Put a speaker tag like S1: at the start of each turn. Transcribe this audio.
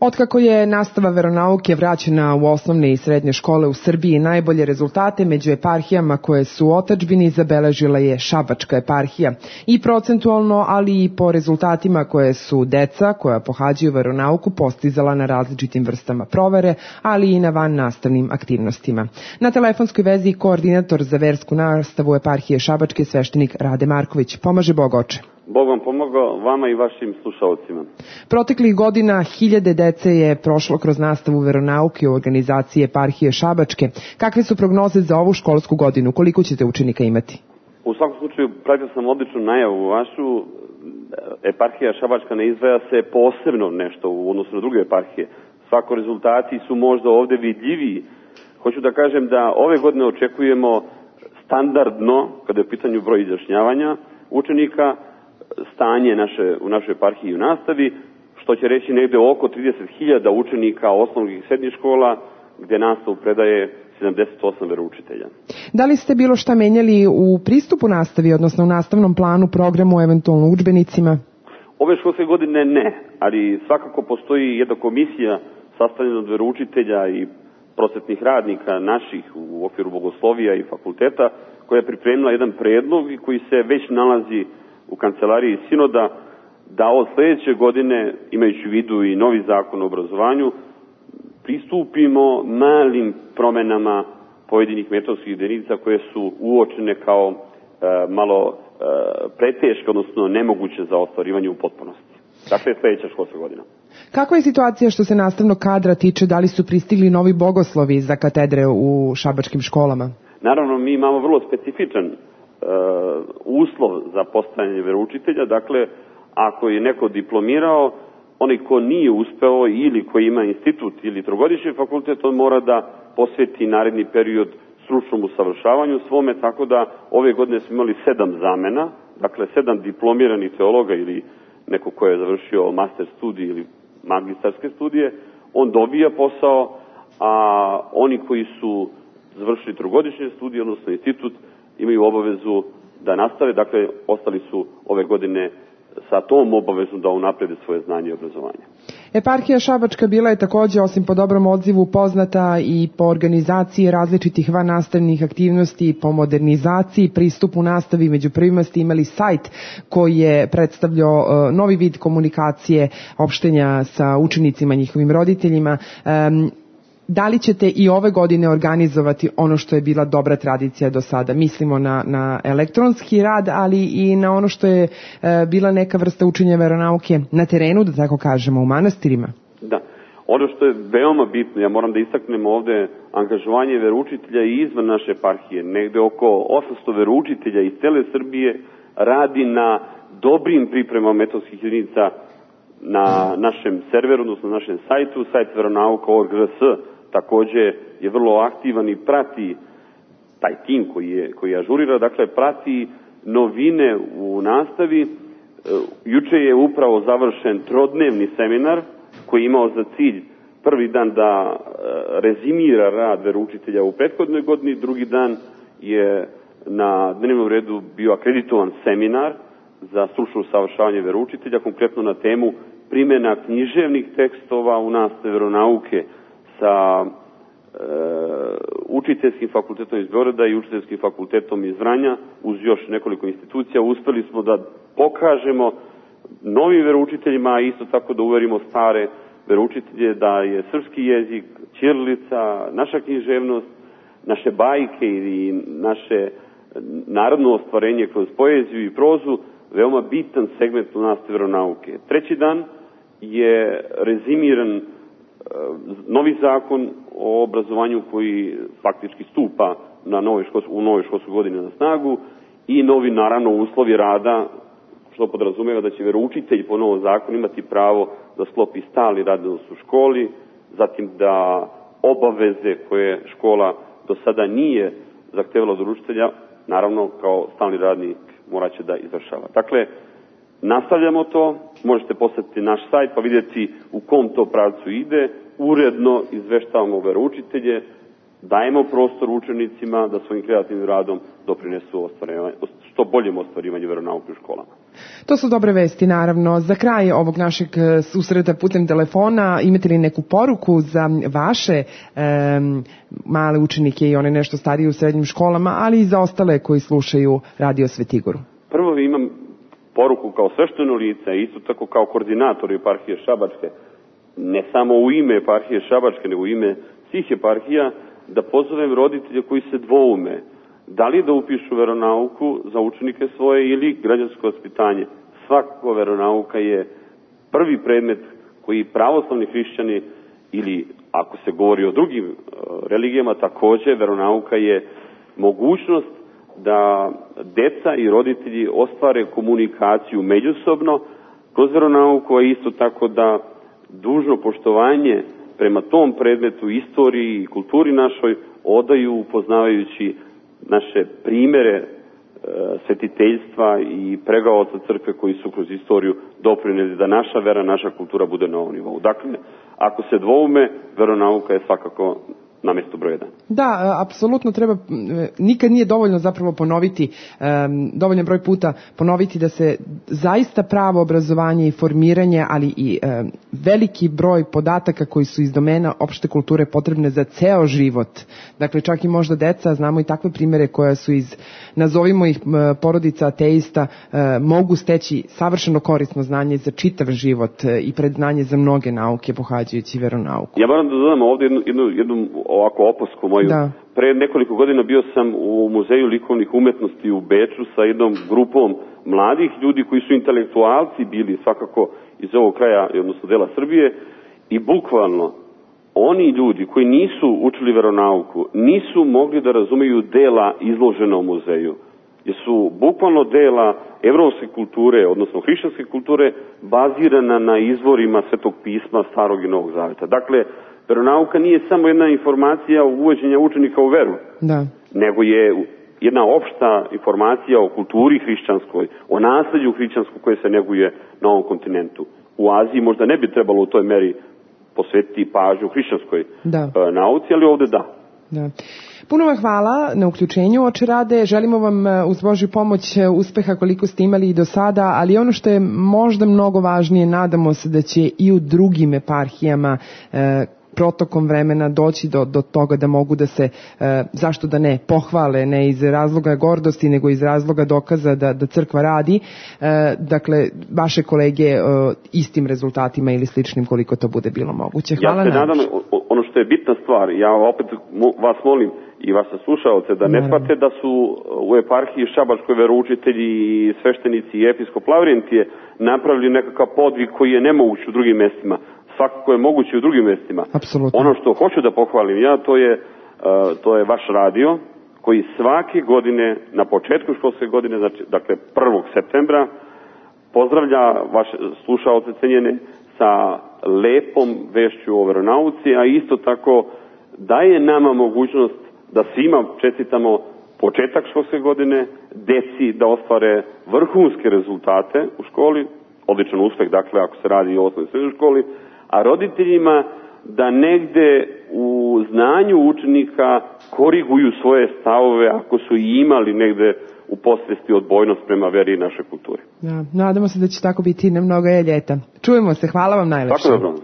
S1: Otkako je nastava veronauke vraćena u osnovne i srednje škole u Srbiji, najbolje rezultate među eparhijama koje su u otadžbini zabeležila je Šabačka eparhija. I procentualno, ali i po rezultatima koje su deca koja pohađaju veronauku postizala na različitim vrstama provere, ali i na van nastavnim aktivnostima. Na telefonskoj vezi koordinator za versku nastavu eparhije Šabačke, sveštenik Rade Marković. Pomaže Bog, oče.
S2: Bog vam pomogao, vama i vašim slušalcima.
S1: Proteklih godina hiljade dece je prošlo kroz nastavu veronauke u organizaciji eparhije Šabačke. Kakve su prognoze za ovu školsku godinu? Koliko ćete učenika imati?
S2: U svakom slučaju, pratio sam odličnu najavu vašu. Eparhija Šabačka ne izdvaja se posebno nešto u odnosu na druge eparhije. Svako rezultati su možda ovde vidljiviji. Hoću da kažem da ove godine očekujemo standardno, kada je u pitanju broj izjašnjavanja učenika, stanje u našoj eparhiji u nastavi, što će reći negde oko 30.000 učenika osnovnih i srednjih škola, gde nastavu predaje 78 veroučitelja.
S1: Da li ste bilo šta menjali u pristupu nastavi, odnosno u nastavnom planu, programu, eventualno udžbenicima?
S2: Ove školske godine ne, ali svakako postoji jedna komisija sastavljena od veroučitelja i prosvetnih radnika naših u okviru bogoslovija i fakulteta, koja je pripremila jedan predlog i koji se već nalazi u kancelariji sinoda, da od sledeće godine, imajući u vidu i novi zakon o obrazovanju, pristupimo malim promenama pojedinih metodskih jedinica koje su uočene kao malo preteške, odnosno nemoguće za ostvarivanje u potpunosti. Dakle, sledeća školska godina.
S1: Kakva je situacija što se nastavnog kadra tiče? Da li su pristigli novi bogoslovi za katedre u šabačkim školama?
S2: Naravno, mi imamo vrlo specifičan uslov za postajanje veroučitelja. Dakle, ako je neko diplomirao, onaj ko nije uspeo ili ko ima institut ili trogodišnji fakultet, on mora da posveti naredni period stručnom usavršavanju svome, tako da ove godine smo imali 7 zamena, dakle 7 diplomiranih teologa ili neko ko je završio master studij ili magistarske studije, on dobija posao, a oni koji su završili trogodišnje studije, odnosno institut, imaju obavezu da nastave, dakle, ostali su ove godine sa tom obavezom da unaprede svoje znanje i obrazovanje.
S1: Eparhija Šabačka bila je takođe, osim po dobrom odzivu, poznata i po organizaciji različitih vannastavnih aktivnosti, po modernizaciji, pristupu nastavi. Među prvima ste imali sajt koji je predstavljao novi vid komunikacije, opštenja sa učenicima, njihovim roditeljima. Da li ćete i ove godine organizovati ono što je bila dobra tradicija do sada? Mislimo na elektronski rad, ali i na ono što je bila neka vrsta učenja veronauke na terenu, da tako kažemo, u manastirima.
S2: Da. Ono što je veoma bitno, ja moram da istaknem ovde angažovanje veroučitelja i izvan naše eparhije. Negde oko 800 veroučitelja iz cele Srbije radi na dobrim pripremama metodskih jedinica na našem serveru, odnosno na našem sajtu, sajt veronauka.org.rs takođe je vrlo aktivan i prati taj tim koji ažurira, dakle prati novine u nastavi. Juče je upravo završen trodnevni seminar koji je imao za cilj prvi dan da rezimira rad veroučitelja u prethodnoj godini, drugi dan je na dnevnom redu bio akreditovan seminar za stručno usavršavanje veroučitelja, konkretno na temu primjena književnih tekstova u nastavi veronauke sa učiteljskim fakultetom iz Beograda i učiteljskim fakultetom iz Vranja, uz još nekoliko institucija. Uspeli smo da pokažemo novim veroučiteljima, a isto tako da uverimo stare veroučitelje da je srpski jezik, ćirilica, naša književnost, naše bajke i naše narodno ostvarenje kroz poeziju i prozu veoma bitan segment u nastavi veronauke. Treći dan je rezimiran novi zakon o obrazovanju koji faktički stupa u novoj školskoj godini na snagu i novi, naravno, uslovi rada, što podrazumeva da će veroučitelj po novom zakonu imati pravo da sklopi stalni radni odnos u školi, zatim da obaveze koje škola do sada nije zahtevala od učitelja, naravno kao stalni radnik moraće da izvršava. Dakle, nastavljamo to, možete posetiti naš sajt pa vidjeti u kom to pravcu ide, uredno izveštavamo veroučitelje, dajemo prostor učenicima da svojim kreativnim radom doprinesu što boljem ostvarivanju veronauke u školama.
S1: To su dobre vesti, naravno. Za kraj ovog našeg susreta putem telefona, imate li neku poruku za vaše male učenike i one nešto starije u srednjim školama, ali i za ostale koji slušaju Radio Svetigoru?
S2: Prvo imam poruku kao svešteno lice, isto tako kao koordinator eparhije Šabačke, ne samo u ime eparhije Šabačke, nego u ime svih eparhija, da pozovem roditelje koji se dvoume da li da upišu veronauku za učenike svoje ili građansko vaspitanje. Svako veronauka je prvi predmet koji pravoslavni hrišćani ili ako se govori o drugim religijama, takođe veronauka je mogućnost da deca i roditelji ostvare komunikaciju međusobno kroz veronauku, a isto tako da dužno poštovanje prema tom predmetu, istoriji i kulturi našoj odaju upoznavajući naše primere svetiteljstva i pregaoca crkve koji su kroz istoriju doprineli da naša vera, naša kultura bude na ovom nivou. Dakle, ako se dvoume, veronauka je svakako na mjestu broj 1.
S1: Da, apsolutno treba, nikad nije dovoljno zapravo ponoviti, dovoljan broj puta ponoviti da se zaista pravo obrazovanje i formiranje, ali i veliki broj podataka koji su iz domena opšte kulture potrebne za ceo život. Dakle, čak i možda deca, znamo i takve primere koja su iz, nazovimo ih porodica ateista, mogu steći savršeno korisno znanje za čitav život i predznanje za mnoge nauke pohađajući veronauku.
S2: Ja moram da dodam ovdje jednu ovako opasku moju. Da. Pre nekoliko godina bio sam u Muzeju likovnih umetnosti u Beču sa jednom grupom mladih ljudi koji su intelektualci bili svakako iz ovog kraja, odnosno dela Srbije, i bukvalno oni ljudi koji nisu učili veronauku nisu mogli da razumeju dela izložena u muzeju. Jer su bukvalno dela evropske kulture, odnosno hrišćanske kulture, bazirana na izvorima Svetog pisma Starog i Novog Zaveta. Dakle, veronauka nije samo jedna informacija uvođenja učenika u veru, nego je jedna opšta informacija o kulturi hrišćanskoj, o nasleđu hrišćanskom koje se neguje na ovom kontinentu. U Aziji možda ne bi trebalo u toj meri posvetiti pažnju hrišćanskoj nauci, ali ovde da.
S1: Puno vam hvala na uključenju, oče Rade. Želimo vam uz Božju pomoć uspeha koliko ste imali i do sada, ali ono što je možda mnogo važnije, nadamo se da će i u drugim eparhijama protokom vremena doći do toga da mogu da se, zašto da ne, pohvale, ne iz razloga gordosti, nego iz razloga dokaza da crkva radi, dakle, vaše kolege istim rezultatima ili sličnim koliko to bude bilo moguće. Hvala.
S2: Ja se nadam, ono što je bitna stvar, ja opet vas molim i vas slušaoce da ne shvate da su u eparhiji Šabačkoj veroučitelji i sveštenici i episkop Lavrijentije napravili nekakav podvig koji je nemoguć u drugim mestima. Svakako je moguće u drugim mestima.
S1: Apsolutno.
S2: Ono što hoću da pohvalim ja, to je vaš radio, koji svake godine, na početku školske godine, dakle 1. septembra, pozdravlja vaše slušaoce cenjene sa lepom vešću o veronauci, a isto tako daje nama mogućnost da svima čestitamo početak školske godine, deci da ostvare vrhunske rezultate u školi, odličan uspeh, dakle, ako se radi o osnovnoj srednjoj školi, a roditeljima da negde u znanju učenika koriguju svoje stavove ako su i imali negde u posvesti odbojnost prema veri i našoj kulturi.
S1: Nadamo se da će tako biti na mnogo ljeta. Čujemo se, hvala vam najlepše.
S2: Tako dobro.